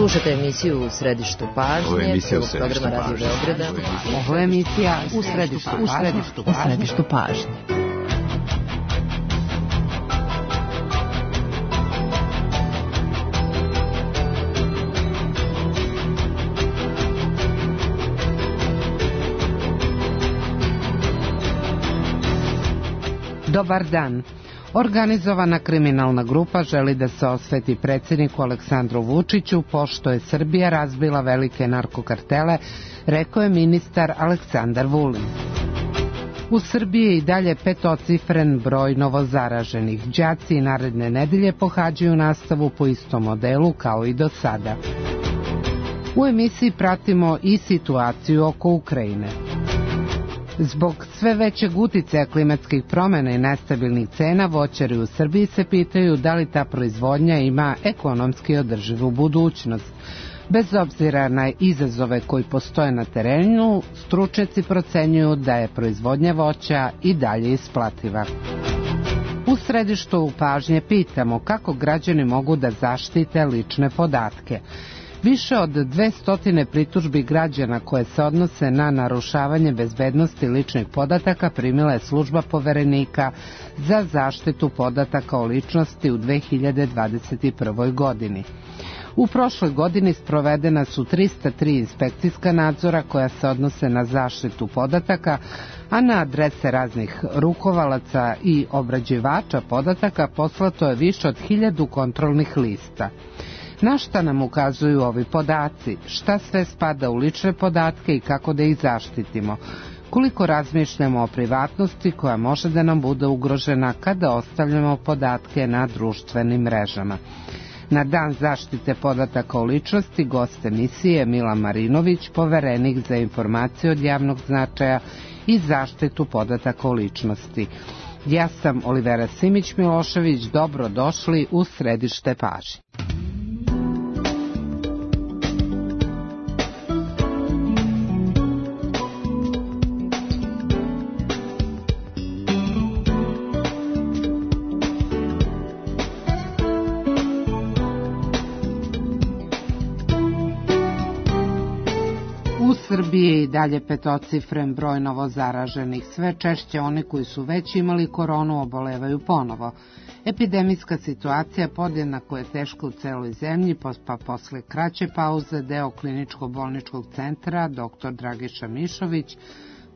Slušate emisiju U središtu pažnje. Ovo je emisija U središtu pažnje. Ovo je emisija U središtu pažnje. Dobar dan. Organizovana kriminalna grupa želi da se osveti predsjedniku Aleksandru Vučiću pošto je Srbija razbila velike narkokartele, rekao je ministar Aleksandar Vulin. U Srbiji je i dalje petocifren broj novozaraženih. Đaci naredne nedelje pohađaju nastavu po istom modelu kao i do sada. U emisiji pratimo i situaciju oko Ukrajine. Zbog sve većeg uticaja klimatskih promjena i nestabilnih cena, voćari u Srbiji se pitaju da li ta proizvodnja ima ekonomski održivu budućnost. Bez obzira na izazove koji postoje na terenu, stručnjaci procenjuju da je proizvodnja voća i dalje isplativa. U središtu pažnje pitamo kako građani mogu da zaštite lične podatke. Više od 200 pritužbi građana koje se odnose na narušavanje bezbednosti ličnih podataka primila je služba Poverenika za zaštitu podataka o ličnosti u 2021. godini. U prošloj godini sprovedena su 303 inspekcijska nadzora koja se odnose na zaštitu podataka, a na adrese raznih rukovalaca i obrađivača podataka poslato je više od 1000 kontrolnih lista. Na šta nam ukazuju ovi podaci? Šta sve spada u lične podatke i kako da ih zaštitimo? Koliko razmišljamo o privatnosti koja može da nam bude ugrožena kada ostavljamo podatke na društvenim mrežama? Na dan zaštite podataka o ličnosti gost emisije Mila Marinović, poverenik za informacije od javnog značaja i zaštitu podataka o ličnosti. Ja sam Olivera Simić-Milošević, dobro došli u središte pažnje. U Srbiji je i dalje petocifren broj novozaraženih. Sve češće oni koji su već imali koronu obolevaju ponovo. Epidemijska situacija podjednako je teška u celoj zemlji, pa posle kraće pauze deo kliničko-bolničkog centra dr. Dragiša Mišović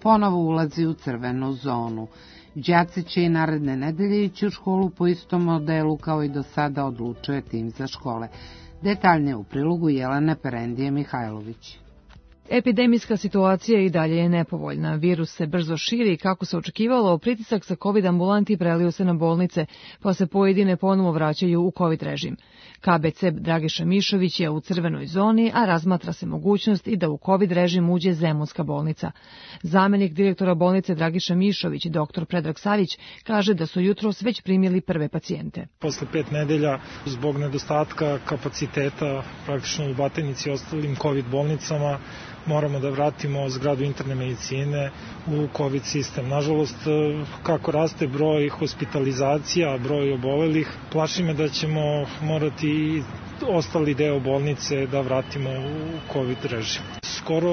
ponovo ulazi u crvenu zonu. Đaci će i naredne nedelje ići u školu po istom modelu kao i do sada, odlučuje tim za škole. Detaljnije u prilogu Jelene Perendije Mihajlović. Epidemijska situacija i dalje je nepovoljna. Virus se brzo širi i kako se očekivalo, pritisak sa COVID ambulanti prelio se na bolnice, pa se pojedine ponovo vraćaju u COVID režim. KBC Dragiša Mišović je u crvenoj zoni, a razmatra se mogućnost i da u COVID režim uđe Zemunska bolnica. Zamenik direktora bolnice Dragiša Mišović, dr. Predrag Savić, kaže da su jutros već primili prve pacijente. Posle 5 nedelja, zbog nedostatka kapaciteta praktično u Batajnici i ostalim COVID bolnicama, moramo da vratimo zgradu interne medicine u COVID sistem. Nažalost, kako raste broj hospitalizacija, broj obolelih, plaši me da ćemo morati ostali deo bolnice da vratimo u COVID režim. Skoro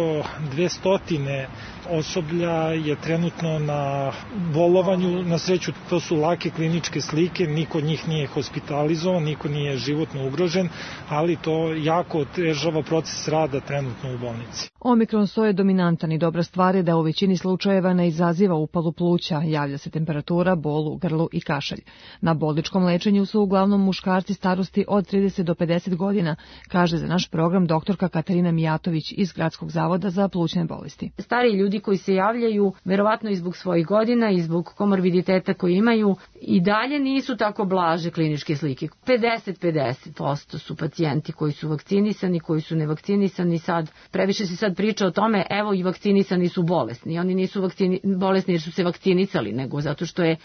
200 osoblja je trenutno na bolovanju, na sreću to su lake kliničke slike, niko od njih nije hospitalizovan, niko nije životno ugrožen, ali to jako otežava proces rada trenutno u bolnici. Omikron soje dominantan i dobra stvar je da u većini slučajeva ne izaziva upalu pluća, javlja se temperatura, bol u grlu i kašalj. Na bolničkom lečenju su uglavnom muškarci starosti od 30 do 50 godina, kaže za naš program doktorka Katarina Mijatović iz Gradskog zavoda za plućne bolesti. Stari ljudi koji se javljaju, verovatno i zbog svojih godina i zbog komorbiditeta koji imaju, i dalje nisu tako blaže kliničke slike. 50% su pacijenti koji su vakcinisani, koji su nevakcinisani. Sad previše se sad priča o tome, evo i vakcinisani su bolesni. Oni nisu bolesni jer su se vakcinisali, nego zato što je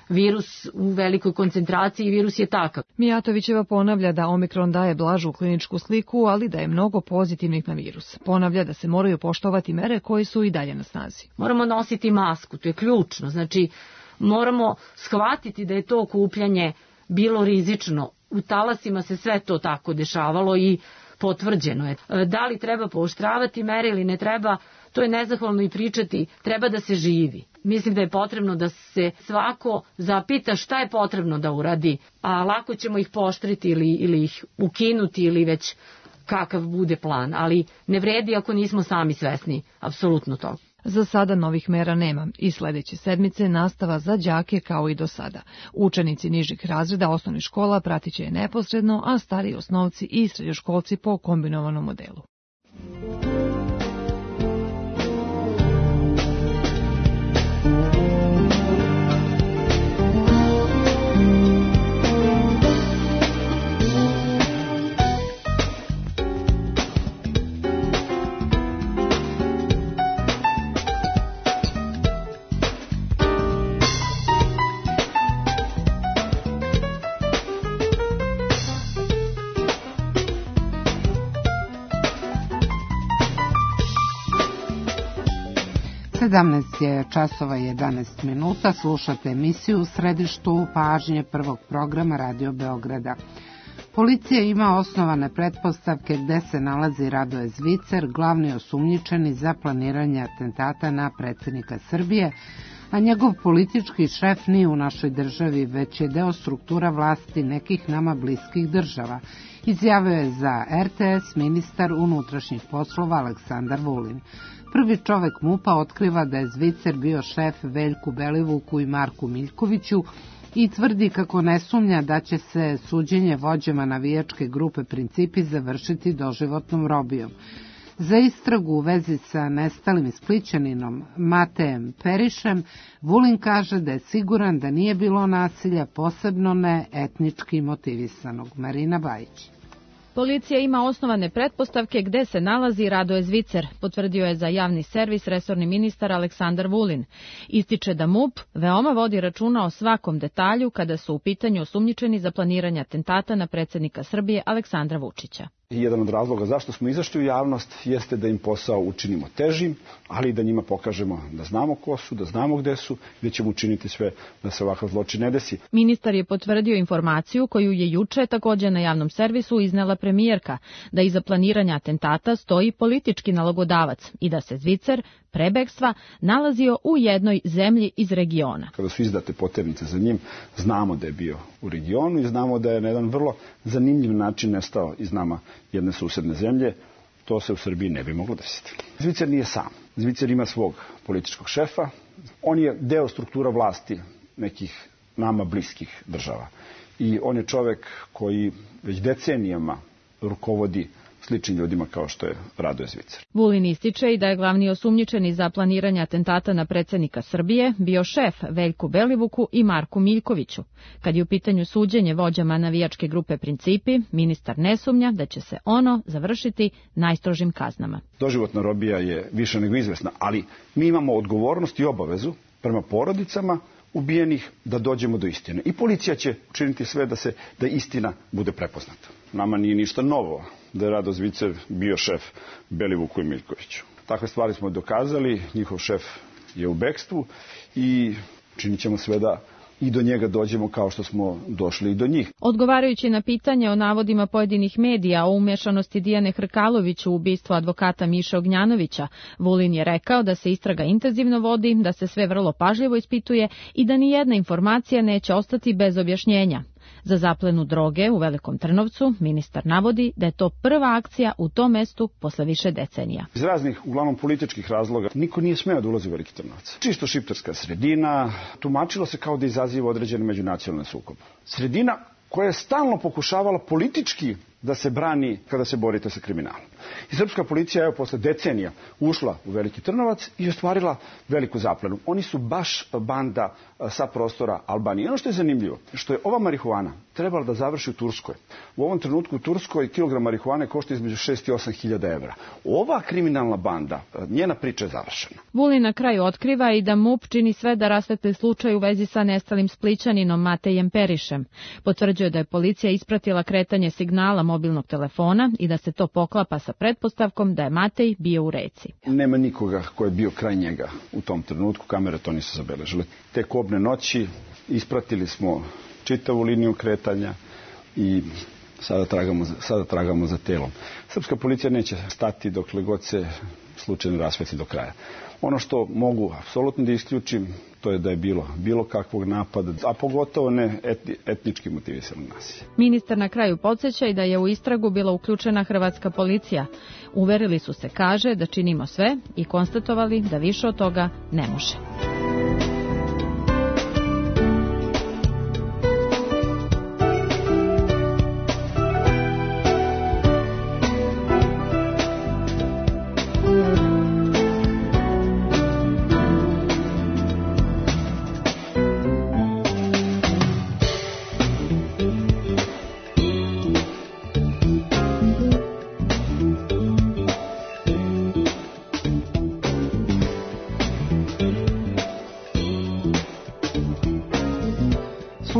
virus u velikoj koncentraciji i virus je takav. Mijatovićeva ponavlja da Omikron daje blažu kliničku sliku, ali da je mnogo pozitivnih na virus. Ponavlja da se moraju poštovati mere koje su i dalje na snazi. Moramo nositi masku, to je ključno. Znači, moramo shvatiti da je to okupljanje bilo rizično. U talasima se sve to tako dešavalo i potvrđeno je. Da li treba pooštravati mere ili ne treba, to je nezahvalno i pričati, treba da se živi. Mislim da je potrebno da se svako zapita šta je potrebno da uradi, a lako ćemo ih pooštriti ili ih ukinuti ili već kakav bude plan, ali ne vredi ako nismo sami svesni apsolutno toga. Za sada novih mera nema i sledeće sedmice nastava za đake kao i do sada. Učenici nižih razreda osnovnih škola pratit će je neposredno, a stariji osnovci i srednjoškolci po kombinovanom modelu. časova 11 minuta, slušate emisiju U središtu pažnje prvog programa Radio Beograda. Policija ima osnovane pretpostavke gde se nalazi Radoje Zvicer, glavni osumnjičeni za planiranje atentata na predsjednika Srbije, a njegov politički šef nije u našoj državi, već je deo struktura vlasti nekih nama bliskih država, izjavio je za RTS ministar unutrašnjih poslova Aleksandar Vulin. Prvi čovek MUP-a otkriva da je Zvicer bio šef Veljku Belivuku i Marku Miljkoviću i tvrdi kako ne sumnja da će se suđenje vođama navijačke grupe Principi završiti doživotnom robijom. Za istragu u vezi sa nestalim Splićaninom Matejem Perišem, Vulin kaže da je siguran da nije bilo nasilja, posebno ne etnički motivisanog. Marina Bajić. Policija ima osnovane pretpostavke gde se nalazi Radoje Zvicer, potvrdio je za javni servis resorni ministar Aleksandar Vulin. Ističe da MUP veoma vodi računa o svakom detalju kada su u pitanju osumnjičeni za planiranje atentata na predsjednika Srbije Aleksandra Vučića. Jedan od razloga zašto smo izašli u javnost jeste da im posao učinimo težim, ali i da njima pokažemo da znamo ko su, da znamo gde su, da ćemo učiniti sve da se ovakav zločin ne desi. Ministar je potvrdio informaciju koju je juče također na javnom servisu iznela premijerka, da iza planiranja atentata stoji politički nalogodavac i da se Zvicer pre bekstva nalazio u jednoj zemlji iz regiona. Kada su izdate poternice za njim, znamo da je bio u regionu i znamo da je na jedan vrlo zanimljiv način nestao iz nama jedne susedne zemlje. To se u Srbiji ne bi moglo desiti. Zvicer nije sam. Zvicer ima svog političkog šefa. On je deo struktura vlasti nekih nama bliskih država. I on je čovek koji već decenijama rukovodi sličnim ljudima kao što je Radoje Zvicer. Vulin ističe i da je glavni osumnjičeni za planiranje atentata na predsjednika Srbije bio šef Veljku Belivuku i Marku Miljkoviću. Kad je u pitanju suđenje vođama navijačke grupe Principi, ministar ne sumnja da će se ono završiti najstrožim kaznama. Doživotna robija je više nego izvesna, ali mi imamo odgovornost i obavezu prema porodicama ubijenih da dođemo do istine. I policija će učiniti sve da istina bude prepoznata. Nama nije ništa novo da je Radoje Zvicer bio šef Belivuku i Miljkoviću. Takve stvari smo dokazali, njihov šef je u bekstvu i činit ćemo sve da i do njega dođemo kao što smo došli i do njih. Odgovarajući na pitanje o navodima pojedinih medija o umješanosti Dijane Hrkalović u ubistvo advokata Miše Ognjanovića, Vulin je rekao da se istraga intenzivno vodi, da se sve vrlo pažljivo ispituje i da nijedna informacija neće ostati bez objašnjenja. Za zaplenu droge u Velikom Trnovcu ministar navodi da je to prva akcija u tom mestu posle više decenija. Iz raznih, uglavnom političkih razloga, niko nije smeo da ulazi u Veliki Trnovac. Čisto šiptarska sredina, tumačilo se kao da izaziva određene međunacionalne sukobe. Sredina koja je stalno pokušavala politički da se brani kada se borite sa kriminalom. I srpska policija je posle decenija ušla u Veliki Trnovac i ostvarila veliku zaplenu. Oni su baš banda sa prostora Albanije. Ono što je zanimljivo, što je ova marihuana trebala da završi u Turskoj. U ovom trenutku u Turskoj kilogram marihuane košta između 6 i 8 hiljada evra. Ova kriminalna banda, njena priča je završena. Vulin na kraju otkriva i da MUP čini sve da rasvetli slučaj u vezi sa nestalim Splićaninom Matejem Perišem. Potvrđuje da je policija ispratila kretanje signala mobilnog telefona i da se to poklapa sa pretpostavkom da je Matej bio u reci. Nema nikoga ko je bio kraj njega u tom trenutku, kamere to nisu zabeležile. Te kobne noći ispratili smo čitavu liniju kretanja i sada tragamo za telom. Srpska policija neće stati dokle god se slučaj ne rasvetli do kraja. Ono što mogu apsolutno da isključim, to je da je bilo kakvog napada, a pogotovo ne etnički motivisano nasilje. Ministar na kraju podsjeća i da je u istragu bila uključena hrvatska policija. Uverili su se, kaže, da činimo sve i konstatovali da više od toga ne može.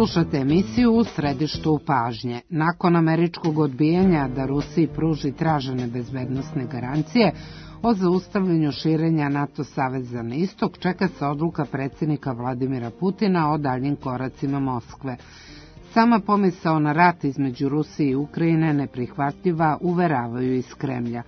Slušate emisiju U središtu pažnje. Nakon američkog odbijanja da Rusiji pruži tražene bezbednosne garancije o zaustavljanju širenja NATO saveza na istok, čeka se odluka predsjednika Vladimira Putina o daljnjim koracima Moskve. Sama pomisao na rat između Rusije i Ukrajine neprihvatljiva, uveravaju iz Kremlja.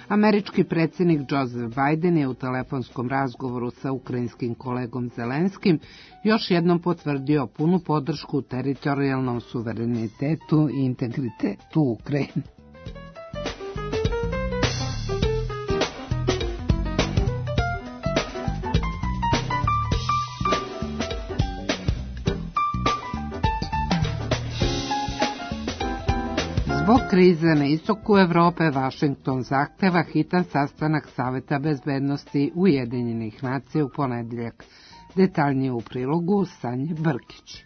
Američki predsjednik Joseph Biden je u telefonskom razgovoru sa ukrajinskim kolegom Zelenskim još jednom potvrdio punu podršku teritorijalnom suverenitetu i integritetu Ukrajine. Zbog krize na istoku Evrope, Vašington zahteva hitan sastanak Saveta bezbednosti Ujedinjenih nacija u ponedjeljak. Detaljnije u prilogu Sanje Brkić.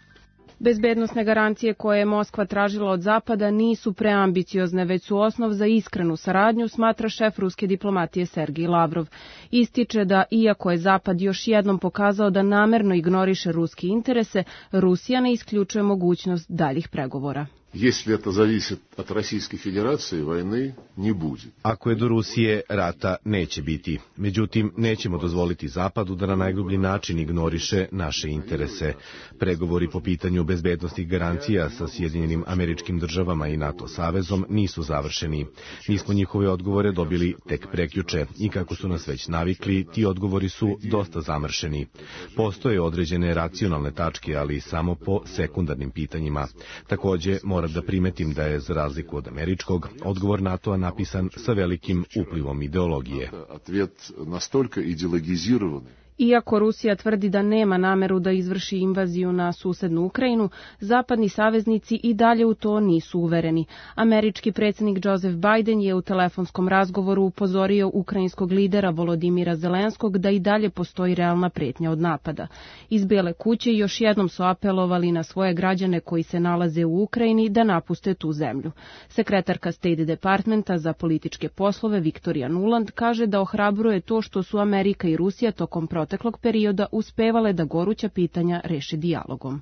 Bezbednosne garancije koje je Moskva tražila od Zapada nisu preambiciozne, već su osnov za iskrenu saradnju, smatra šef ruske diplomatije Sergij Lavrov. Ističe da, iako je Zapad još jednom pokazao da namerno ignoriše ruske interese, Rusija ne isključuje mogućnost daljih pregovora. Если это зависит от Российской Федерации, войны не будет. Ako je do Rusije, rata neće biti. Međutim, nećemo dozvoliti Zapadu da na najgrublji način ignoriše naše interese. Pregovori po pitanju bezbednosnih garancija sa Sjedinjenim Američkim Državama i NATO savezom nisu završeni. Mi smo njihove odgovore dobili tek prekjuče i kako su nas već navikli, ti odgovori su dosta zamršeni. Postoje određene racionalne tačke, ali samo po sekundarnim pitanjima. Takođe, moram da primetim da je, za razliku od američkog, odgovor NATO-a napisan sa velikim uplivom ideologije. Ответ настолько идеологизированный. Iako Rusija tvrdi da nema nameru da izvrši invaziju na susednu Ukrajinu, zapadni saveznici i dalje u to nisu uvereni. Američki predsjednik Joseph Biden je u telefonskom razgovoru upozorio ukrajinskog lidera Volodimira Zelenskog da i dalje postoji realna pretnja od napada. Iz Bele kuće još jednom su apelovali na svoje građane koji se nalaze u Ukrajini da napuste tu zemlju. Sekretarka State Departmenta za političke poslove Viktorija Nuland kaže da ohrabruje to što su Amerika i Rusija tokom proteklog perioda uspevale da goruća pitanja reše dijalogom.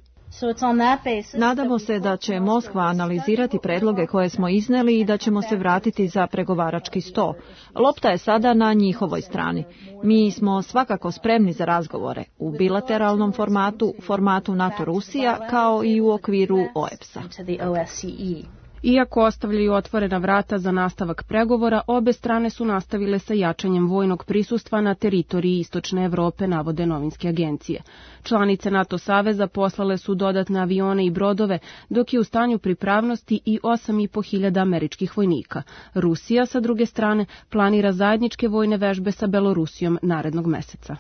Nadamo se da će Moskva analizirati predloge koje smo izneli i da ćemo se vratiti za pregovarački sto. Lopta je sada na njihovoj strani. Mi smo svakako spremni za razgovore u bilateralnom formatu, formatu NATO-Rusija, kao i u okviru OEBS-a. Iako ostavljaju otvorena vrata za nastavak pregovora, obe strane su nastavile sa jačanjem vojnog prisustva na teritoriji Istočne Evrope, navode novinske agencije. Članice NATO saveza poslale su dodatne avione i brodove, dok je u stanju pripravnosti i 8.500 američkih vojnika. Rusija, sa druge strane, planira zajedničke vojne vežbe sa Belorusijom narednog meseca.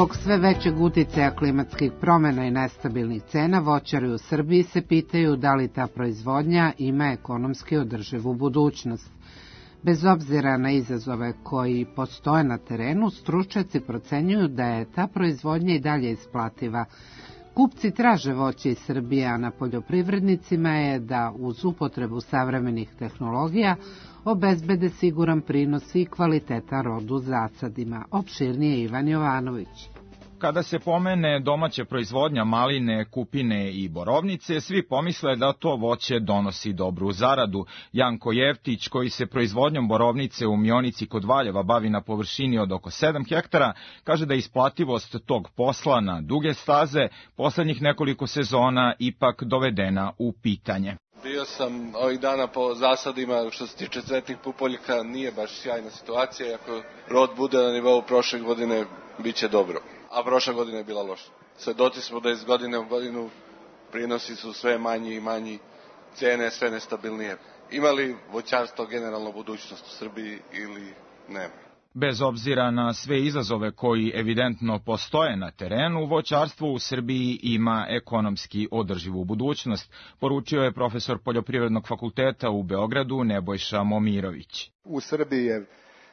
Zbog sve većeg uticaja klimatskih promjena i nestabilnih cena, voćari u Srbiji se pitaju da li ta proizvodnja ima ekonomski održivu budućnost. Bez obzira na izazove koji postoje na terenu, stručnjaci procenjuju da je ta proizvodnja i dalje isplativa. Kupci traže voće iz Srbije, a na poljoprivrednicima je da uz upotrebu savremenih tehnologija obezbede siguran prinos i kvaliteta rodu zasadima. Opširnije Ivan Jovanović. Kada se pomene domaća proizvodnja maline, kupine i borovnice, svi pomisle da to voće donosi dobru zaradu. Janko Jeftić, koji se proizvodnjom borovnice u Mionici kod Valjeva bavi na površini od oko 7 hektara, kaže da je isplativost tog posla na duge staze poslednjih nekoliko sezona ipak dovedena u pitanje. Bio sam ovih dana po zasadima, što se tiče cvetnih pupoljaka, nije baš sjajna situacija. Ako rod bude na nivou prošle godine, bit će dobro. A prošla godina je bila loša. Svedoci smo da iz godine u godinu prinosi su sve manji i manji, cene sve nestabilnije. Ima li voćarstvo generalno budućnost u Srbiji ili nema? Bez obzira na sve izazove koji evidentno postoje na terenu, voćarstvo u Srbiji ima ekonomski održivu budućnost, poručio je profesor Poljoprivrednog fakulteta u Beogradu Nebojša Momirović. U Srbiji je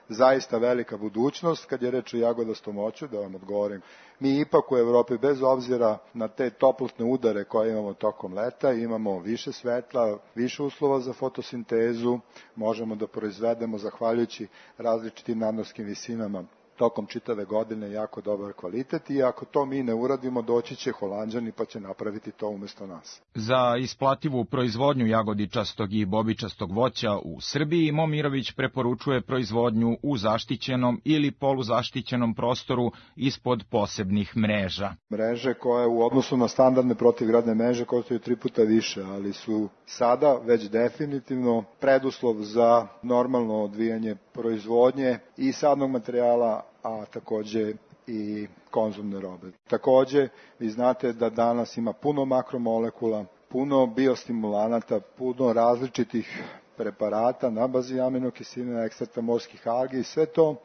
zaista velika budućnost kad je reč o jagodastom voću, da vam odgovorim. Mi ipak u Evropi, bez obzira na te toplotne udare koje imamo tokom leta, imamo više svetla, više uslova za fotosintezu, možemo da proizvedemo, zahvaljujući različitim nadmorskim visinama, tokom čitave godine jako dobar kvalitet i ako to mi ne uradimo, doći će Holanđani pa će napraviti to umesto nas. Za isplativu proizvodnju jagodičastog i bobičastog voća u Srbiji Momirović preporučuje proizvodnju u zaštićenom ili poluzaštićenom prostoru ispod posebnih mreža. Mreže koje u odnosu na standardne protivgradne mreže koštaju 3 puta više, ali su sada već definitivno preduslov za normalno odvijanje proizvodnje i sadnog materijala, a takođe i konzumne robe. Takođe, vi znate da danas ima puno makromolekula, puno biostimulanata, puno različitih preparata na bazi aminokiselina, ekstrakta morskih algi i sve to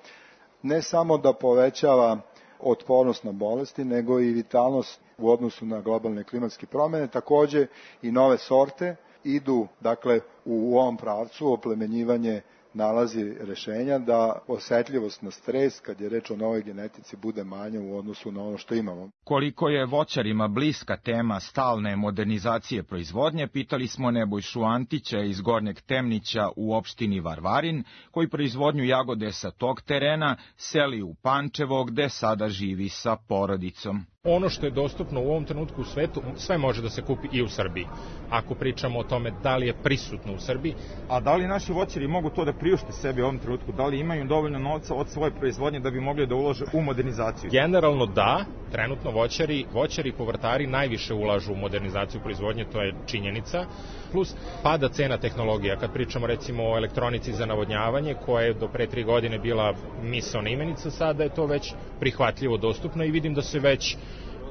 ne samo da povećava otpornost na bolesti, nego i vitalnost u odnosu na globalne klimatske promene. Takođe i nove sorte idu, dakle, u ovom pravcu oplemenjivanje nalazi rešenja da osetljivost na stres, kad je reč o novoj genetici, bude manja u odnosu na ono što imamo. Koliko je voćarima bliska tema stalne modernizacije proizvodnje, pitali smo Nebojšu Antića iz Gornjeg Temnića u opštini Varvarin, koji proizvodnju jagode sa tog terena seli u Pančevo, gde sada živi sa porodicom. Ono što je dostupno u ovom trenutku u svetu, sve može da se kupi i u Srbiji. Ako pričamo o tome da li je prisutno u Srbiji. A da li naši voćari mogu to da priušte sebi u ovom trenutku? Da li imaju dovoljno novca od svoje proizvodnje da bi mogli da ulože u modernizaciju? Generalno da, trenutno voćari i povrtari najviše ulažu u modernizaciju proizvodnje, to je činjenica. Plus pada cena tehnologija. Kad pričamo recimo o elektronici za navodnjavanje, koja je do pre 3 godine bila misaona imenica, sada je to već prihvatljivo dostupno i vidim da se već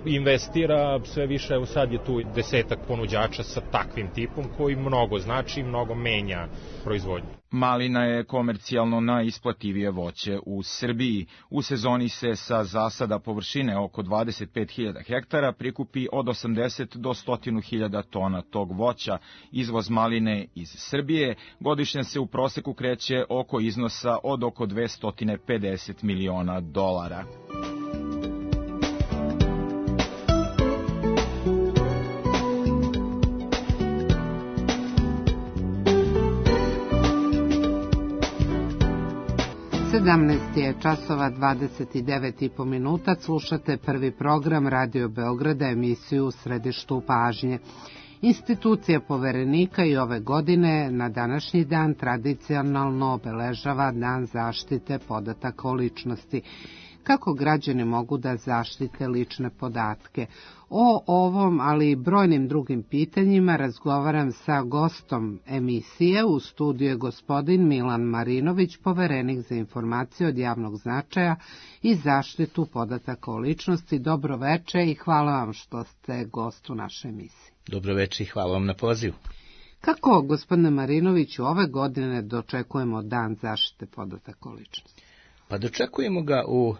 investira sve više, evo sad je tu 10-ak ponuđača sa takvim tipom koji mnogo znači i mnogo menja proizvodnju. Malina je komercijalno najisplativije voće u Srbiji. U sezoni se sa zasada površine oko 25.000 hektara prikupi od 80 do 100.000 tona tog voća. Izvoz maline iz Srbije godišnje se u proseku kreće oko iznosa od oko $250 miliona. 17 je časova 29,5 minuta, slušate prvi program Radio Beograda, emisiju U središtu pažnje. Institucija Poverenika i ove godine na današnji dan tradicionalno obeležava Dan zaštite podataka o ličnosti. Kako građani mogu da zaštite lične podatke? O ovom, ali i brojnim drugim pitanjima razgovaram sa gostom emisije. U studiju je gospodin Milan Marinović, poverenik za informacije od javnog značaja i zaštitu podataka o ličnosti. Dobro veče i hvala vam što ste gost u našoj emisiji. Dobro veče i hvala vam na pozivu. Kako, gospodine Marinoviću, ove godine dočekujemo Dan zaštite podataka o ličnosti? Pa dočekujemo ga u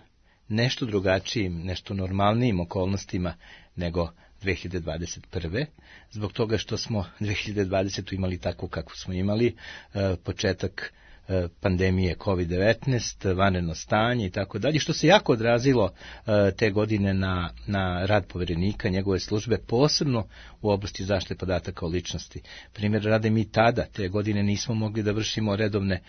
nešto drugačijim, nešto normalnijim okolnostima nego 2021. Zbog toga što smo 2020. imali tako kako smo imali, početak pandemije COVID-19, vanredno stanje i tako dalje, što se jako odrazilo te godine na rad poverenika, njegove službe, posebno u oblasti zaštite podataka o ličnosti. Primjer rade, mi tada, te godine, nismo mogli da vršimo redovne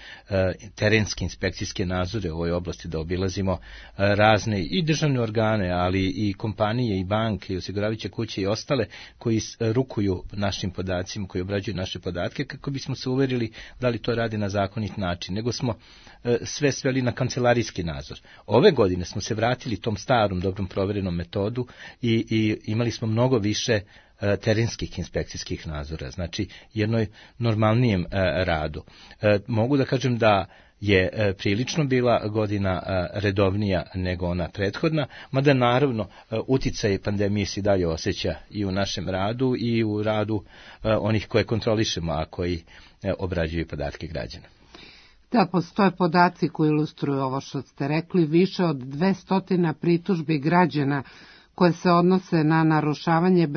terenske inspekcijske nadzore u ovoj oblasti, da obilazimo razne i državne organe, ali i kompanije i banke i osiguravajuće kuće i ostale koji rukuju našim podacima, koji obrađuju naše podatke, kako bismo se uverili da li to radi na zakonit način, nego smo sve sveli na kancelarijski nadzor. Ove godine smo se vratili tom starom, dobrom proverenom metodu i imali smo mnogo više terenskih inspekcijskih nadzora, znači jednoj normalnijem radu. Mogu da kažem da je prilično bila godina redovnija nego ona prethodna, mada naravno uticaj pandemije se dalje osjeća i u našem radu i u radu onih koje kontrolišemo, a koji obrađuju podatke građana. Da, postoje podaci koji ilustruju ovo što ste rekli, više od 200 pritužbi građana koje se odnose na narušavanje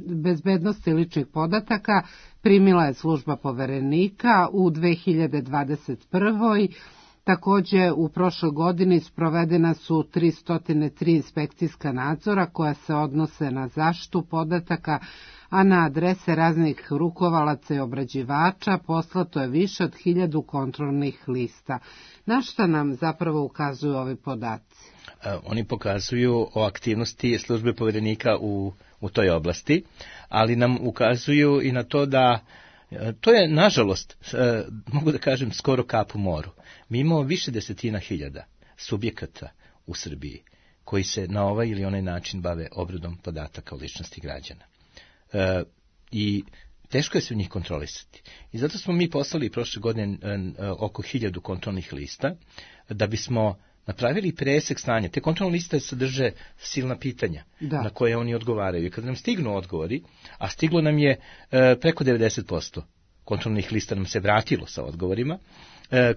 bezbednosti ličnih podataka primila je služba poverenika u 2021. Takođe, u prošloj godini sprovedena su 303 inspekcijska nadzora koja se odnose na zaštitu podataka, a na adrese raznih rukovalaca i obrađivača poslato je više od 1000 kontrolnih lista. Na šta nam zapravo ukazuju ovi podaci? Oni pokazuju o aktivnosti službe poverenika u toj oblasti, ali nam ukazuju i na to da to je, nažalost, mogu da kažem, skoro kap u moru. Mi imamo više desetina hiljada subjekata u Srbiji koji se na ovaj ili onaj način bave obradom podataka o ličnosti građana. I teško je se u njih kontrolisati. I zato smo mi poslali prošle godine oko 1000 kontrolnih lista, da bismo napravili presek stanja. Te kontrolne liste sadrže silna pitanja na koje oni odgovaraju. I kada nam stignu odgovori, a stiglo nam je preko 90%, kontrolnih lista nam se vratilo sa odgovorima,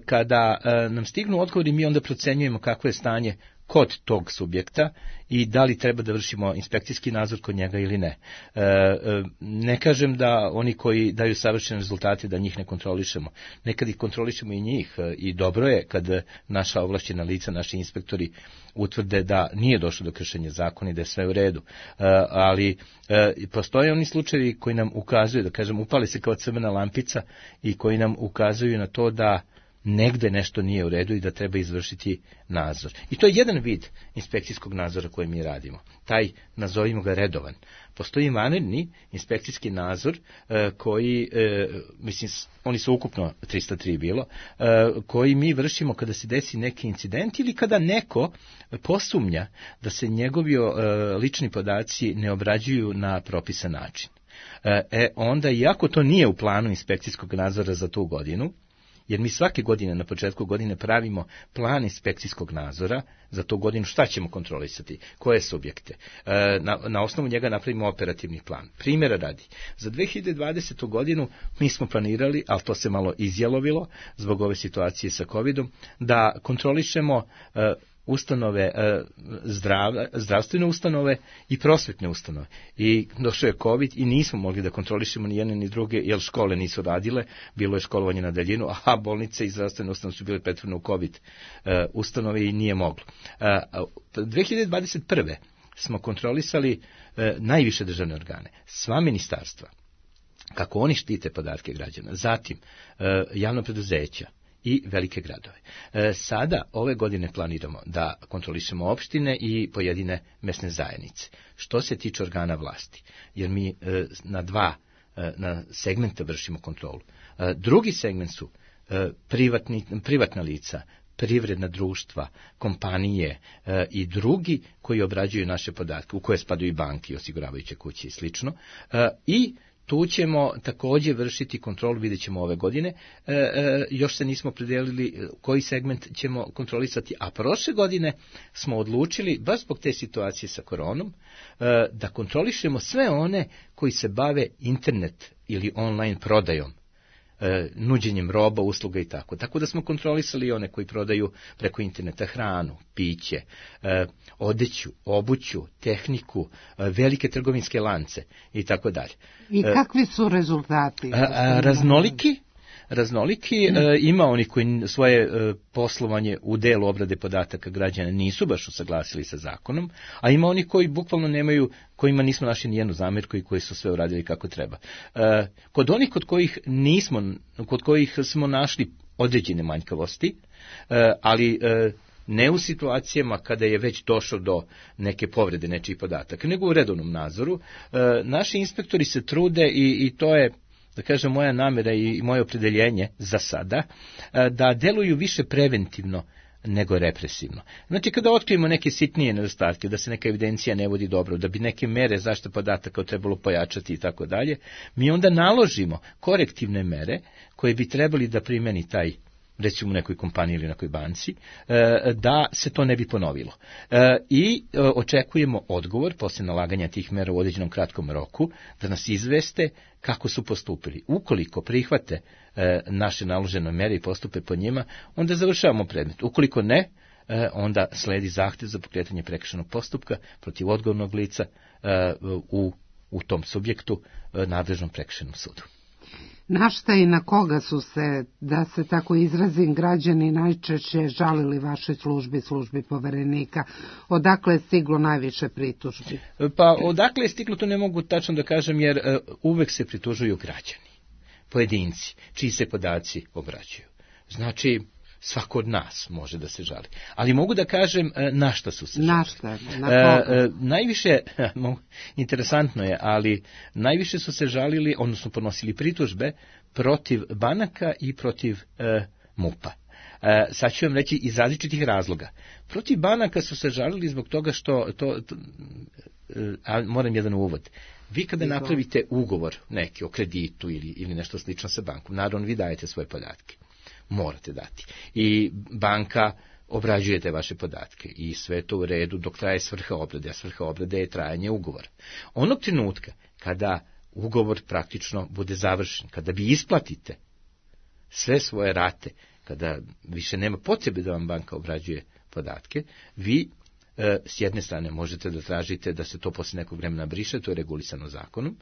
kada nam stignu odgovori, mi onda procenjujemo kakvo je stanje kod tog subjekta i da li treba da vršimo inspekcijski nadzor kod njega ili ne. Ne kažem da oni koji daju savršene rezultate da njih ne kontrolišemo. Nekad ih kontrolišemo i njih i dobro je kad naša ovlašćena lica, naši inspektori utvrde da nije došlo do kršenja zakona i da je sve u redu. Ali postoje oni slučajevi koji nam ukazuju, da kažem, upali se kao crvena lampica i koji nam ukazuju na to da negde nešto nije u redu i da treba izvršiti nadzor. I to je jedan vid inspekcijskog nadzora koji mi radimo. Taj, nazovimo ga, redovan. Postoji vanredni inspekcijski nadzor koji, mislim, oni su ukupno 303 bilo, koji mi vršimo kada se desi neki incident ili kada neko posumnja da se njegovi lični podaci ne obrađuju na propisan način. Onda, iako to nije u planu inspekcijskog nadzora za tu godinu, jer mi svake godine na početku godine pravimo plan inspekcijskog nadzora za tu godinu, šta ćemo kontrolisati, koje subjekte. Na osnovu njega napravimo operativni plan. Primjera radi, za 2020. godinu mi smo planirali, ali to se malo izjelovilo zbog ove situacije sa COVID-om, da kontrolišemo ustanove, zdravstvene ustanove i prosvetne ustanove. I došao je COVID i nismo mogli da kontrolišemo ni jedne ni druge, jer škole nisu radile, bilo je školovanje na daljinu, a bolnice i zdravstvene ustanove su bile pretvorene u COVID ustanove i nije moglo. 2021. smo kontrolisali najviše državne organe, sva ministarstva, kako oni štite podatke građana, zatim javna preduzeća i velike gradove. Sada, ove godine planiramo da kontrolišemo opštine i pojedine mesne zajednice. Što se tiče organa vlasti, jer mi na segmenta vršimo kontrolu. Drugi segment su privatna lica, privredna društva, kompanije i drugi koji obrađuju naše podatke, u koje spadaju i banke, osiguravajuće kuće i slično. I tu ćemo također vršiti kontrolu, vidjet ćemo ove godine, još se nismo opredelili koji segment ćemo kontrolisati, a prošle godine smo odlučili, baš zbog te situacije sa koronom, da kontrolišemo sve one koji se bave internet ili online prodajom, nuđenjem roba, usluga i tako. Tako da smo kontrolisali one koji prodaju preko interneta hranu, piće, odeću, obuću, tehniku, velike trgovinske lance i tako dalje. I kakvi su rezultati? raznoliki. Ima oni koji svoje poslovanje u delu obrade podataka građana nisu baš usaglasili sa zakonom, a ima oni koji bukvalno nemaju, kojima nismo našli nijednu zamjerku i koji su sve uradili kako treba. Kod onih kod kojih smo našli određene manjkavosti, ali ne u situacijama kada je već došlo do neke povrede nečijih podataka, nego u redovnom nadzoru. Naši inspektori se trude i to je, da kažem, moja namjera i moje opredeljenje za sada, da deluju više preventivno nego represivno. Znači, kada otkrijemo neke sitnije nedostatke, da se neka evidencija ne vodi dobro, da bi neke mere zaštite podataka trebalo pojačati i tako dalje, mi onda naložimo korektivne mere koje bi trebali da primeni taj, recimo u nekoj kompaniji ili nekoj banci, da se to ne bi ponovilo. I očekujemo odgovor posle nalaganja tih mera u određenom kratkom roku, da nas izveste kako su postupili. Ukoliko prihvate naše naložene mere i postupe po njima, onda završavamo predmet. Ukoliko ne, onda sledi zahtev za pokretanje prekršajnog postupka protiv odgovornog lica u tom subjektu nadležnom prekršajnom sudu. Na šta i na koga su se, da se tako izrazim, građani najčešće žalili vašoj službi Poverenika? Odakle je stiglo najviše pritužbi? Pa odakle je stiglo, to ne mogu tačno da kažem, jer uvek se pritužuju građani, pojedinci, čiji se podaci obrađuju. Znači, svako od nas može da se žali. Ali mogu da kažem na šta su se žali. Na šta? Na koga? Najviše, interesantno je, ali najviše su se žalili, odnosno podnosili pritužbe protiv banaka i protiv MUP-a. Sad ću vam reći iz različitih razloga. Protiv banaka su se žalili zbog toga što, moram jedan uvod. Vi kada napravite ugovor neki o kreditu ili nešto slično sa bankom, naravno vi dajete svoje podatke. Morate dati. I banka obrađuje te vaše podatke i sve to u redu dok traje svrha obrade, a svrha obrade je trajanje ugovora. Onog trenutka kada ugovor praktično bude završen, kada vi isplatite sve svoje rate, kada više nema potrebe da vam banka obrađuje podatke, vi s jedne strane možete da tražite da se to posle nekog vremena briše, to je regulisano zakonom,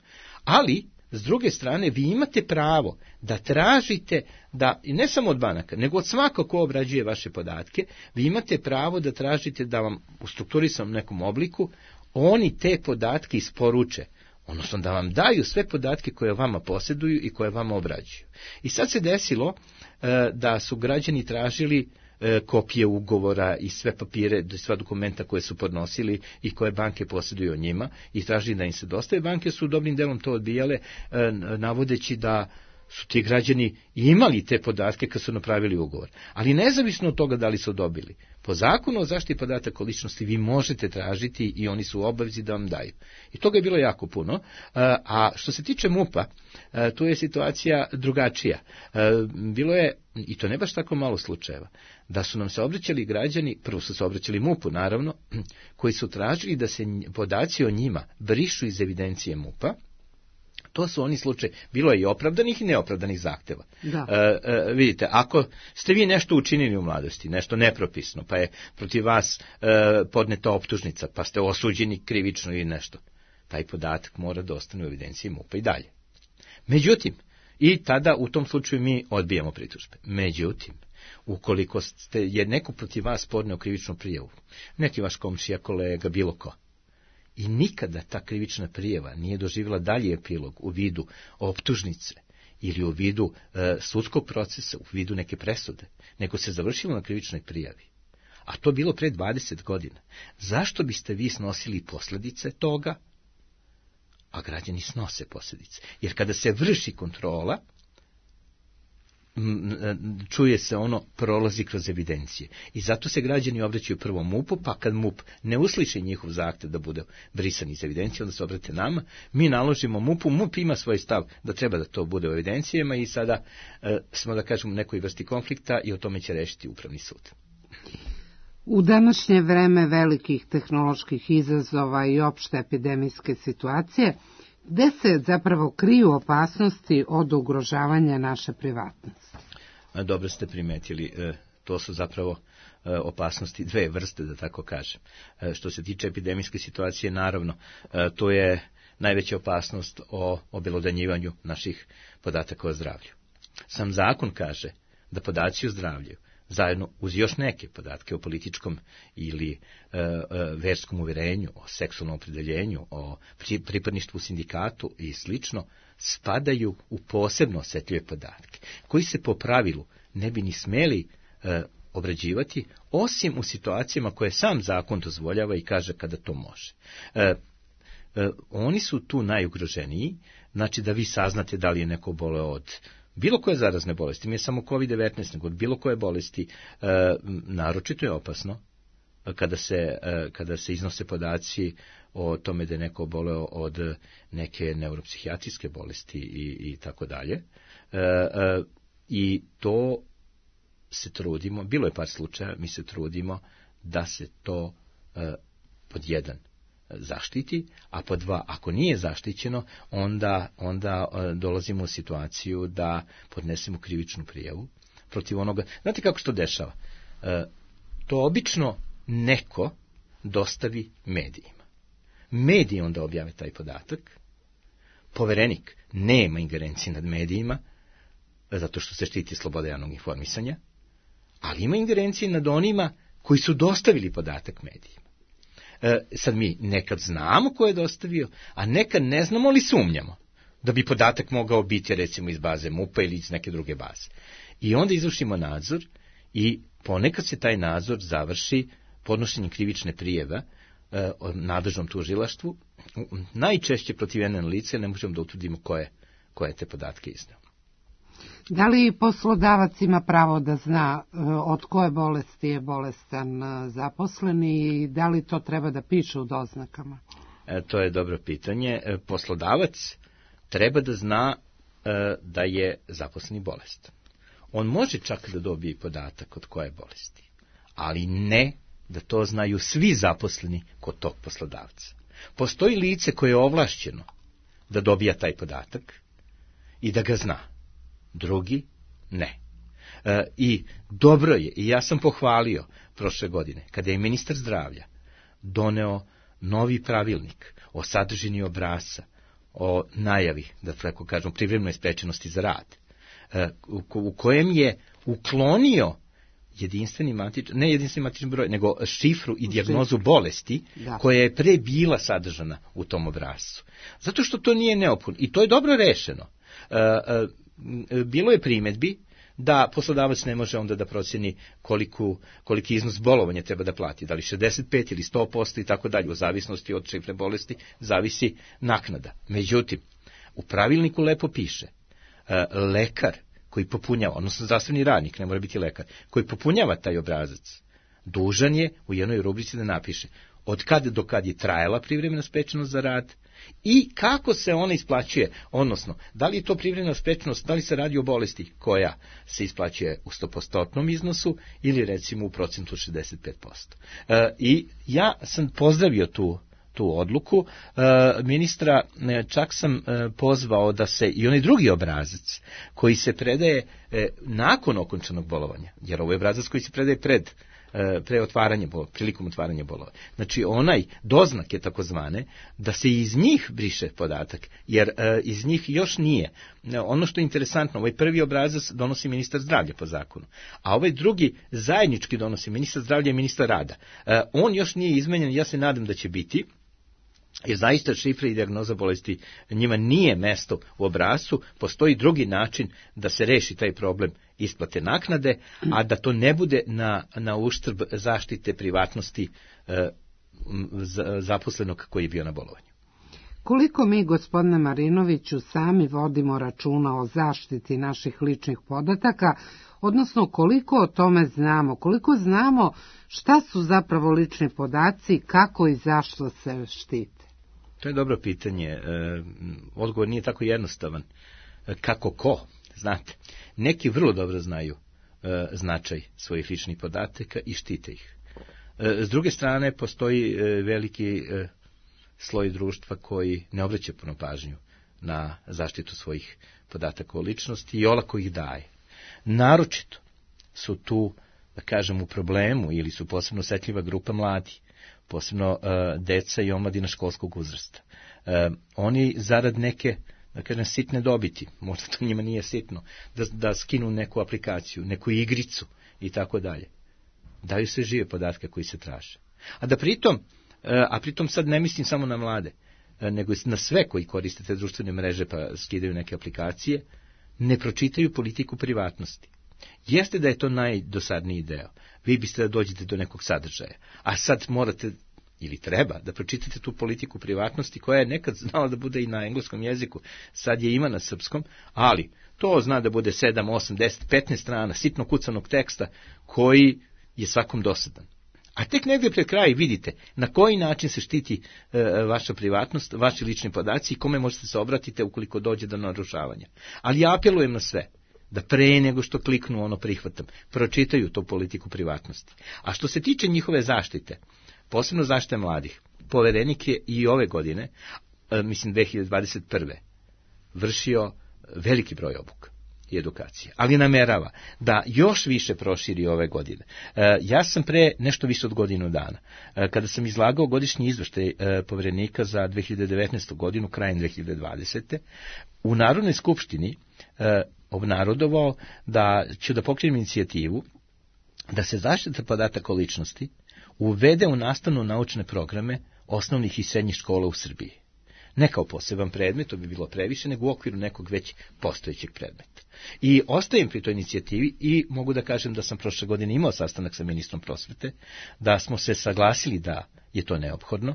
ali s druge strane, vi imate pravo da tražite, da, i ne samo od banaka, nego od svakog ko obrađuje vaše podatke, vi imate pravo da tražite da vam u strukturisanom nekom obliku oni te podatke isporuče, odnosno da vam daju sve podatke koje vama posjeduju i koje vama obrađuju. I sad se desilo da su građani tražili kopije ugovora i sve papire, sva dokumenta koje su podnosili i koje banke posjeduju o njima i tražili da im se dostave. Banke su dobrim delom to odbijale, navodeći da su ti građani imali te podatke kad su napravili ugovor. Ali nezavisno od toga da li su dobili. Po zakonu o zaštiti podataka o ličnosti vi možete tražiti i oni su u obavezi da vam daju. I toga je bilo jako puno. A što se tiče MUP-a, tu je situacija drugačija. Bilo je, i to ne baš tako malo slučajeva, da su nam se obraćali građani, prvo su se obraćali MUP-u naravno, koji su tražili da se podaci o njima brišu iz evidencije MUP-a. To su oni slučaj, bilo je i opravdanih i neopravdanih zahteva. Vidite, ako ste vi nešto učinili u mladosti, nešto nepropisno, pa je protiv vas podneta optužnica, pa ste osuđeni krivično ili nešto, taj podatak mora da ostane u evidenciji MUP-a i dalje. Međutim, i tada u tom slučaju mi odbijamo pritužbe. Međutim, ukoliko je neko protiv vas podneo krivičnu prijavu, neki vaš komšija, kolega, bilo ko, i nikada ta krivična prijava nije doživjela dalji epilog u vidu optužnice ili u vidu sudskog procesa, u vidu neke presude, nego se završilo na krivičnoj prijavi, a to bilo pre 20 godina, zašto biste vi snosili posljedice toga, a građani snose posljedice? Jer kada se vrši kontrola, čuje se ono, prolazi kroz evidencije. I zato se građani obraćaju prvo MUP-u, pa kad MUP ne usliši njihov zahtev da bude brisan iz evidencije, onda se obrate nama, mi naložimo MUP-u, MUP ima svoj stav da treba da to bude u evidencijama i sada smo, da kažemo, u nekoj vrsti konflikta i o tome će rešiti Upravni sud. U današnje vreme velikih tehnoloških izazova i opšte epidemijske situacije, gde se zapravo kriju opasnosti od ugrožavanja naše privatnosti? Dobro ste primetili, to su zapravo opasnosti dve vrste, da tako kažem. Što se tiče epidemijske situacije, naravno, to je najveća opasnost o obelodanjivanju naših podataka o zdravlju. Sam zakon kaže da podaci o zdravlju, zajedno uz još neke podatke o političkom ili verskom uverenju, o seksualnom opredeljenju, o pripadništvu sindikatu i slično, spadaju u posebno osetljive podatke, koji se po pravilu ne bi ni smeli obrađivati, osim u situacijama koje sam zakon dozvoljava i kaže kada to može. Oni su tu najugroženiji, znači da vi saznate da li je neko boleo od bilo koje zarazne bolesti, nije samo COVID-19, nego od bilo koje bolesti, naročito je opasno kada se iznose podaci o tome da je neko boleo od neke neuropsihijatrijske bolesti i tako dalje. I to se trudimo, bilo je par slučaja, mi se trudimo da se to pod jedan zaštiti, a pod dva, ako nije zaštićeno, onda dolazimo u situaciju da podnesemo krivičnu prijavu protiv onoga. Znate kako se to dešava? To obično neko dostavi medijima. Mediji onda objave taj podatak, poverenik nema ingerencije nad medijima, zato što se štiti sloboda javnog informisanja, ali ima ingerencije nad onima koji su dostavili podatak medijima. Sad mi nekad znamo ko je dostavio, a nekad ne znamo ali sumnjamo da bi podatak mogao biti recimo iz baze MUP-a ili iz neke druge baze. I onda izvršimo nadzor i ponekad se taj nadzor završi podnošenjem krivične prijeve nadležnom tužilaštvu. Najčešće protiv jedne lice ne možemo da utvrdimo ko je te podatke izneo. Da li poslodavac ima pravo da zna od koje bolesti je bolestan zaposleni i da li to treba da piše u doznakama? To je dobro pitanje. Poslodavac treba da zna da je zaposleni bolestan. On može čak da dobije podatak od koje bolesti, ali ne da to znaju svi zaposleni kod tog poslodavca. Postoji lice koje je ovlašćeno da dobija taj podatak i da ga zna. Drugi ne. I dobro je, i ja sam pohvalio prošle godine, kada je ministar zdravlja doneo novi pravilnik o sadržini obrasca, o najavi, da tako kažem, privremenoj sprečenosti za rad, u kojem je uklonio jedinstveni matični broj, nego šifru i dijagnozu bolesti, koja je pre bila sadržana u tom obrascu. Zato što to nije neophodno. I to je dobro rešeno. Bilo je primedbi da poslodavac ne može onda da proceni koliki iznos bolovanja treba da plati, da li 65 ili 100% i tako dalje, u zavisnosti od šifre bolesti, zavisi naknada. Međutim, u pravilniku lepo piše, lekar koji popunjava, odnosno zdravstveni radnik, ne mora biti lekar, koji popunjava taj obrazac, dužan je u jednoj rubrici da napiše od kada do kad je trajala privremena sprečenost za rad i kako se ona isplaćuje, odnosno da li je to privremena sprečenost, da li se radi o bolesti koja se isplaćuje u 100% iznosu ili recimo u procentu 65%. I ja sam pozdravio tu odluku ministra, čak sam pozvao da se i onaj drugi obrazac koji se predaje nakon okončanog bolovanja, jer ovo je obrazac koji se predaje prilikom otvaranja bolova. Znači onaj doznak je takozvane, da se iz njih briše podatak, jer iz njih još nije. Ono što je interesantno, ovaj prvi obrazac donosi ministar zdravlja po zakonu, a ovaj drugi zajednički donosi ministar zdravlja i ministar rada. On još nije izmenjen, ja se nadam da će biti, jer zaista šifre i dijagnoza bolesti njima nije mesto u obrascu, postoji drugi način da se reši taj problem isplate naknade, a da to ne bude na uštrb zaštite privatnosti zaposlenog koji je bio na bolovanju. Koliko mi, gospodine Marinoviću, sami vodimo računa o zaštiti naših ličnih podataka, odnosno koliko o tome znamo, koliko znamo šta su zapravo lični podaci, kako i zašto se štite? To je dobro pitanje. Odgovor nije tako jednostavan. Kako ko? Znate, neki vrlo dobro znaju značaj svojih ličnih podataka i štite ih. S druge strane, postoji veliki sloj društva koji ne obraća puno pažnju na zaštitu svojih podataka o ličnosti i olako ih daje. Naročito su tu, da kažem, u problemu ili su posebno osetljiva grupa mladi, posebno deca i omladina školskog uzrasta. Oni zarad neke, kažem, sitne dobiti, možda to njima nije sitno, da skinu neku aplikaciju, neku igricu i tako dalje. Daju se žive podatke koji se traže. A pritom sad ne mislim samo na mlade, nego na sve koji koriste te društvene mreže pa skidaju neke aplikacije, ne pročitaju politiku privatnosti. Jeste da je to najdosadniji deo. Vi biste da dođete do nekog sadržaja, a sad morate ili treba da pročitate tu politiku privatnosti koja je nekad znala da bude i na engleskom jeziku, sad je ima na srpskom, ali to zna da bude 7, 8, 10, 15 strana sitno kucanog teksta koji je svakom dosadan. A tek negdje pred kraj vidite na koji način se štiti vaša privatnost, vaši lični podaci i kome možete se obratiti ukoliko dođe do narušavanja. Ali ja apelujem na sve da pre nego što kliknu ono prihvatam, pročitaju tu politiku privatnosti. A što se tiče njihove zaštite, posebno zaštite mladih, Poverenik je i ove godine, mislim 2021. vršio veliki broj obuka i edukacije, ali namerava da još više proširi ove godine. Ja sam pre nešto više od godinu dana, kada sam izlagao godišnji izveštaj Poverenika za 2019. godinu, krajem 2020. u Narodnoj skupštini obnarodovao da ću da pokrenem inicijativu da se zaštita podataka o ličnosti uvede u nastavno-naučne programe osnovnih i srednjih škola u Srbiji. Ne kao poseban predmet, to bi bilo previše, nego u okviru nekog već postojećeg predmeta. I ostajem pri toj inicijativi i mogu da kažem da sam prošle godine imao sastanak sa ministrom prosvete, da smo se saglasili da je to neophodno,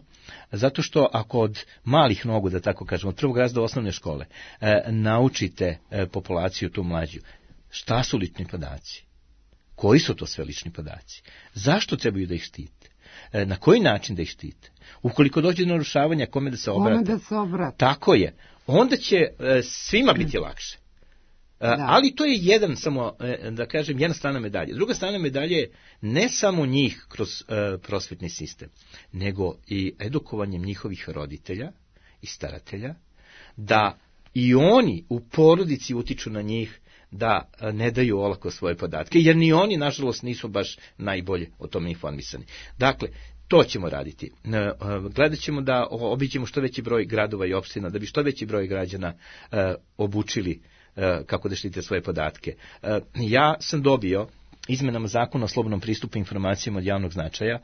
zato što ako od malih nogu, da tako kažem, od prvog razreda osnovne škole, naučite populaciju tu mlađu, šta su lični podaci? Koji su to sve lični podaci? Zašto trebaju da ih štite? Na koji način da ih štite? Ukoliko dođe do narušavanja, kome da se obrate? Tako je. Onda će svima biti lakše. Ali to je jedan, samo da kažem, jedna strana medalje. Druga strana medalje je ne samo njih kroz prosvetni sistem, nego i edukovanjem njihovih roditelja i staratelja, da i oni u porodici utiču na njih da ne daju olako svoje podatke, jer ni oni, nažalost, nisu baš najbolje o tome informisani. Dakle, to ćemo raditi. Gledat ćemo da obiđemo što veći broj gradova i opština, da bi što veći broj građana obučili kako da štite svoje podatke. Ja sam dobio izmenama zakona o slobodnom pristupu informacijama od javnog značaja,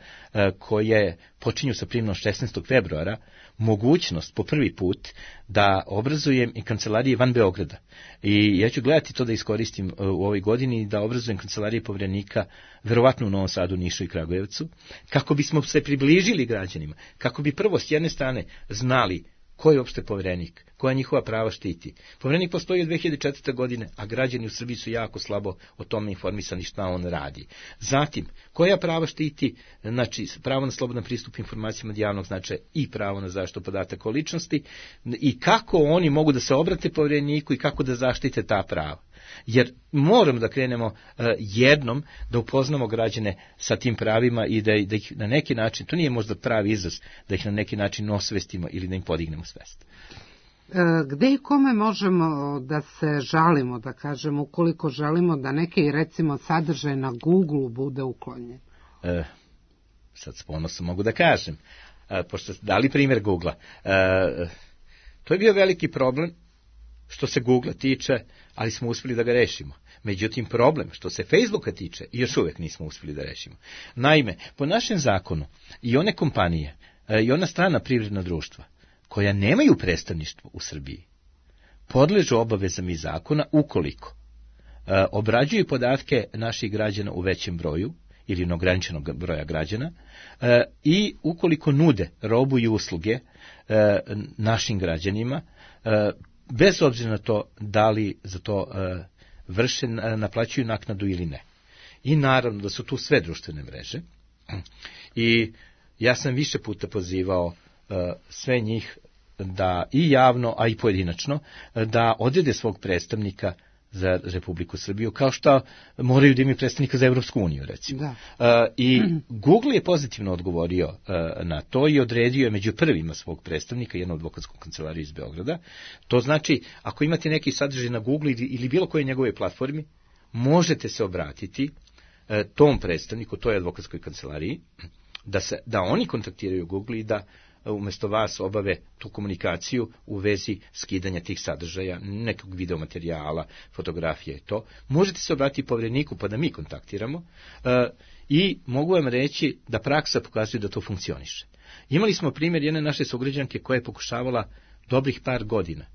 koje počinju sa primjenom 16. februara, mogućnost po prvi put da obrazujem i kancelarije van Beograda. I ja ću gledati to da iskoristim u ovoj godini, da obrazujem kancelarije Poverenika, verovatno u Novom Sadu, Nišu i Kragujevcu, kako bismo se približili građanima, kako bi prvo s jedne strane znali ko je uopšte Poverenik, koja njihova prava štiti. Poverenik postoji od 2004. godine, a građani u Srbiji su jako slabo o tome informisani šta on radi. Zatim, koja prava štiti, znači pravo na slobodan pristup informacijama od javnog značaja i pravo na zaštitu podataka o ličnosti, i kako oni mogu da se obrate Povereniku i kako da zaštite ta prava. Jer moramo da krenemo jednom da upoznamo građane sa tim pravima i da ih na neki način, to nije možda pravi izraz, da ih na neki način osvestimo ili da im podignemo svest. Gde i kome možemo da se žalimo, da kažemo, ukoliko želimo da neki, recimo, sadržaj na Google-u bude uklonjen? Sad s ponosom mogu da kažem, pošto ste dali primjer Google-a. To je bio veliki problem što se Google-a tiče, ali smo uspjeli da ga rešimo. Međutim, problem što se Facebooka tiče, još uvijek nismo uspjeli da rešimo. Naime, po našem zakonu i one kompanije i ona strana privredna društva koja nemaju predstavništvo u Srbiji podležu obavezama iz zakona ukoliko obrađuju podatke naših građana u većem broju ili neograničenog broja građana i ukoliko nude robu i usluge našim građanima, bez obzira na to da li za to naplaćuju naknadu ili ne. I naravno da su tu sve društvene mreže. I ja sam više puta pozivao sve njih da i javno, a i pojedinačno, da odrede svog predstavnika za Republiku Srbiju, kao što moraju da imaju predstavnika za Evropsku uniju, recimo. I Google je pozitivno odgovorio na to i odredio je među prvima svog predstavnika, jednu advokatsku kancelariju iz Beograda. To znači, ako imate neki sadržaj na Google ili bilo koje njegove platformi, možete se obratiti tom predstavniku, toj advokatskoj kancelariji, da oni kontaktiraju Google i da umesto vas obave tu komunikaciju u vezi skidanja tih sadržaja, nekog videomaterijala, fotografije i to. Možete se obratiti Povereniku pa da mi kontaktiramo i mogu vam reći da praksa pokazuje da to funkcioniše. Imali smo primjer jedne naše sugrađanke koja je pokušavala dobrih par godina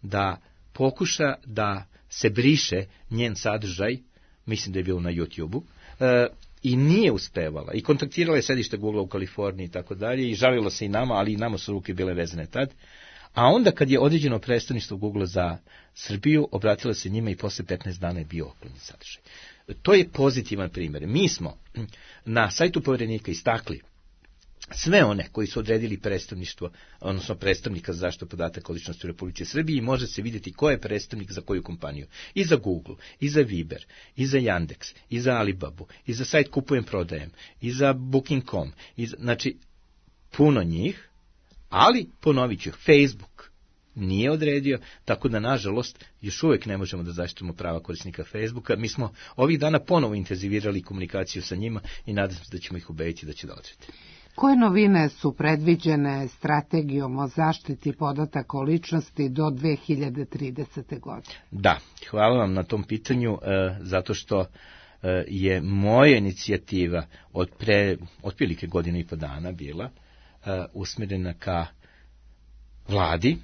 da pokuša da se briše njen sadržaj, mislim da je bilo na YouTube-u, i nije uspevala. I kontaktirala je sedište Google u Kaliforniji i tako dalje i žalilo se i nama, ali i nama su ruke bile vezane tad. A onda kad je određeno predstavništvo Google za Srbiju, obratila se njima i posle 15 dana je bio otklonjen sadržaj. To je pozitivan primjer. Mi smo na sajtu Poverenika istakli sve one koji su odredili predstavništvo, odnosno predstavnika za zaštitu podataka o ličnosti u Republici Srbiji, može se vidjeti ko je predstavnik za koju kompaniju. I za Google, i za Viber, i za Yandex, i za Alibabu, i za sajt Kupujem prodajem, i za Booking.com. Znači, puno njih, ali, ponovit ću, Facebook nije odredio, tako da, nažalost, još uvijek ne možemo da zaštitimo prava korisnika Facebooka. Mi smo ovih dana ponovo intenzivirali komunikaciju sa njima i nadam se da ćemo ih ubediti da će da odredi. Koje novine su predviđene strategijom o zaštiti podataka o ličnosti do 2030. godine? Da, hvala vam na tom pitanju, zato što je moja inicijativa od otprilike godinu i po dana bila usmjerena ka vladi.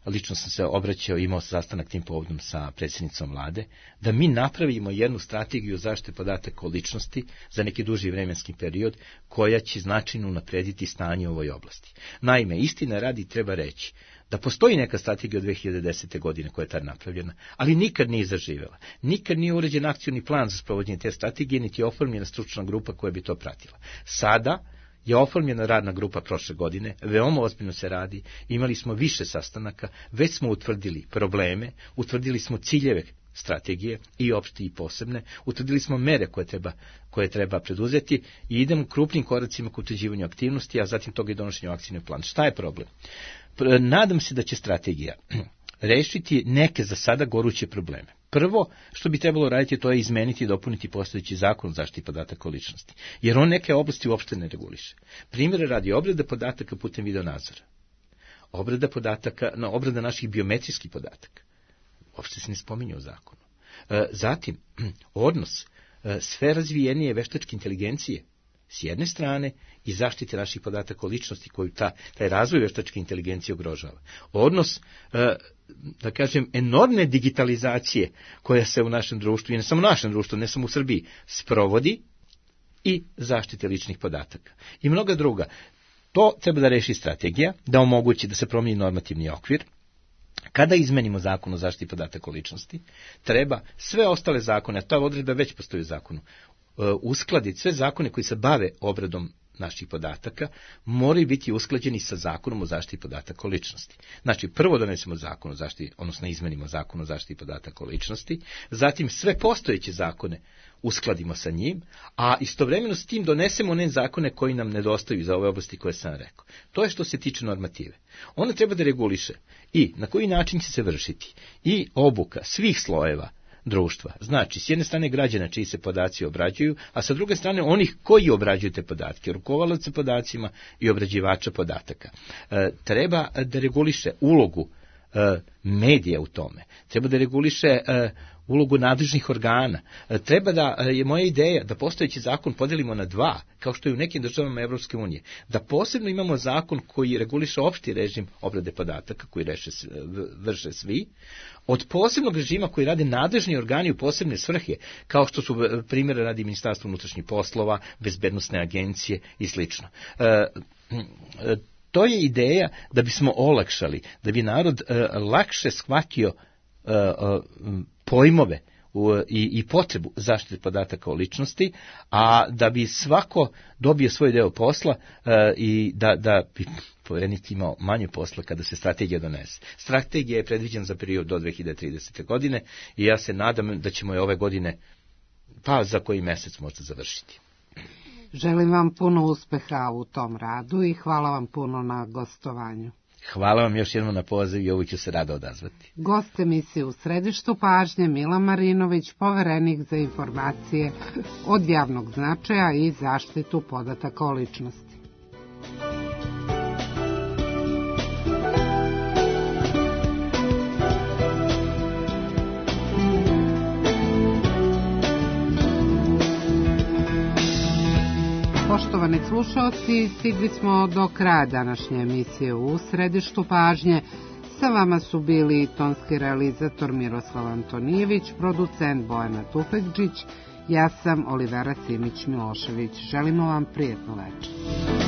Lično sam se obraćao, imao sastanak tim povodom sa predsjednicom vlade, da mi napravimo jednu strategiju zaštite podataka o ličnosti za neki duži vremenski period, koja će značajno unaprediti stanje u ovoj oblasti. Naime, istina radi treba reći da postoji neka strategija od 2010. godine koja je tad napravljena, ali nikad nije zaživela. Nikad nije uređen akcioni plan za sprovođenje te strategije, niti je oformljena stručna grupa koja bi to pratila. Sada je oformljena radna grupa prošle godine, veoma ozbiljno se radi, imali smo više sastanaka, već smo utvrdili probleme, utvrdili smo ciljeve strategije, i opšte i posebne, utvrdili smo mere koje treba preduzeti i idemo krupnim koracima k utvrđivanju aktivnosti, a zatim toga i donošenju akcijnog plana. Šta je problem? Nadam se da će strategija rešiti neke za sada goruće probleme. Prvo što bi trebalo raditi, to je izmeniti i dopuniti postojeći zakon o zaštiti podataka o ličnosti, jer on neke oblasti uopšte ne reguliše. Primjer radi, obrada podataka putem videonadzora, obrada naših biometrijskih podataka, uopšte se ne spominje u zakonu. Zatim, odnos sve razvijenije veštačke inteligencije s jedne strane i zaštite naših podataka o ličnosti koju taj razvoj veštačke inteligencije ugrožava. Odnos, da kažem, enormne digitalizacije koja se u našem društvu, i ne samo u našem društvu, ne samo u Srbiji, sprovodi, i zaštite ličnih podataka. I mnoga druga. To treba da reši strategija, da omogući da se promijeni normativni okvir. Kada izmenimo zakon o zaštiti podataka o ličnosti, treba sve ostale zakone, a ta odredba već postoji u zakonu, uskladiti sve zakone koji se bave obradom naših podataka, moraju biti usklađeni sa zakonom o zaštiti podataka o ličnosti. Znači, prvo donesemo zakon o zaštiti, odnosno izmenimo zakon o zaštiti podataka o ličnosti, zatim sve postojeće zakone uskladimo sa njim, a istovremeno s tim donesemo one zakone koji nam nedostaju za ove oblasti koje sam rekao. To je što se tiče normative. Ona treba da reguliše i na koji način će se vršiti i obuka svih slojeva društva. Znači, s jedne strane građana čiji se podaci obrađuju, a sa druge strane onih koji obrađuju te podatke, rukovalaca podacima i obrađivača podataka. Treba da reguliše ulogu medija u tome. Treba da reguliše ulogu nadležnih organa. Treba da, je moja ideja, da postojeći zakon podelimo na dva, kao što je u nekim državama Evropske unije. Da posebno imamo zakon koji reguliše opšti režim obrade podataka, koji vrše svi, od posebnog režima koji rade nadležni organi u posebne svrhe, kao što su primjer radi Ministarstva unutrašnjih poslova, bezbednosne agencije i sl. To je ideja da bismo olakšali, da bi narod lakše shvatio pojmove i potrebu zaštite podataka o ličnosti, a da bi svako dobio svoj deo posla i da bi Poverenik imao manje posla kada se strategija donese. Strategija je predviđena za period do 2030. godine i ja se nadam da ćemo je ove godine, pa za koji mjesec možda završiti. Želim vam puno uspeha u tom radu i hvala vam puno na gostovanju. Hvala vam još jednom na poziv i ovo ću se rado odazvati. Gost emisije U središtu pažnje Milan Marinović, poverenik za informacije od javnog značaja i zaštitu podataka o ličnosti. Poštovani slušalci, stigli smo do kraja današnje emisije U središtu pažnje. Sa vama su bili tonski realizator Miroslav Antonijević, producent Bojana Tufekđić, ja sam Olivera Simić-Milošević. Želimo vam prijetnu večer.